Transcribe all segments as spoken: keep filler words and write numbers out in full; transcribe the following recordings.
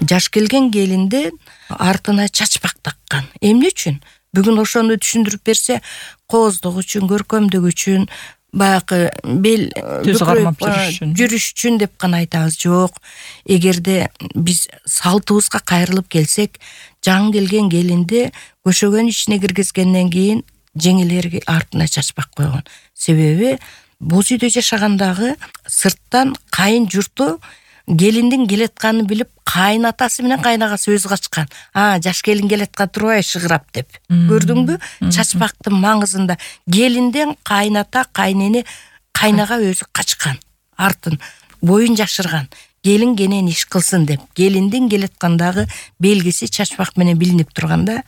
жаш келген келинди артына чачпак таккан. Эмне үчүн? Бүгүн ошону түшүндүрүп берсе, кооздук үчүн, көркөмдүк үчүн, баягы бел түз кармап жүрүш үчүн жүрүш үчүн деп гана айтабыз. Жок. Эгерде биз салтыбызга кайрылып келсек, жаңы келген келинди көшөгөн ичине киргизгенден кийин жеңелери артына чачпак койгон. Себеби боз үйдө жашагандагы сырттан кайын журту келиндин келатканын билип, кайын атасы менен кайнагасы өзү качкан. А, жаш келин келаткан турбайбы шыгырап деп. Көрдүңбү? Чачпактын маңызында келинден кайната, кайнене, кайнага өзү качкан. Артын боюн жашырган. Келин кенен иш кылсын деп. Келиндин келаткандагы белгиси чачпак менен билинип турганда.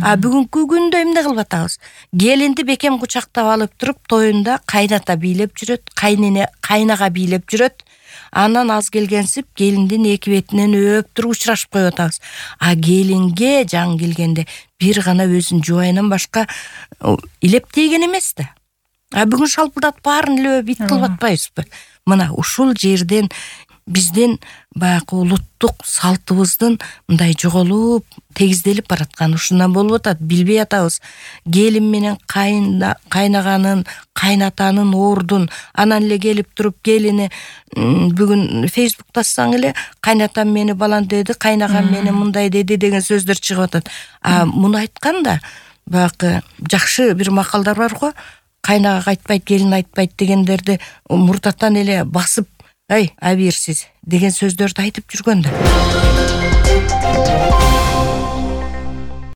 А бүгүнкү күндө эмне кылып атабыз? Келинди бекем кучактап алып туруп, тоюнда кайната бийлеп жүрөт, кайнене, кайнага бийлеп жүрөт. Анан аз келгенсип келиндин эки бетинен өп туруп учурашып коюп атабыз. А келинге жаңы келгенде бир гана өзүнүн жубайынан башка илеп тийген эмес да. А бүгүн шалпылдатып баарын илеп бит кылып атпайбызбы? Мына ушул жерден биздин баягы улуттук салтыбыздын мындай жоголуп, тегизделип бараткан ушундан болуп атат, билбей атабыз. Келин менен кайнаганын, кайнатанын ордун, анан эле келип туруп келини бүгүн Facebook тассаң эле кайнатам мени балан деди, кайнагам мени мындай деди деген сөздөр чыгып атат. А муну айтканда баягы жакшы бир макалдар бар го. Кайнага айтпайт, келин айтпайт дегендерди мурдатан эле басып, ай, абийирсиз деген сөздөрдү айтып жүргөн да.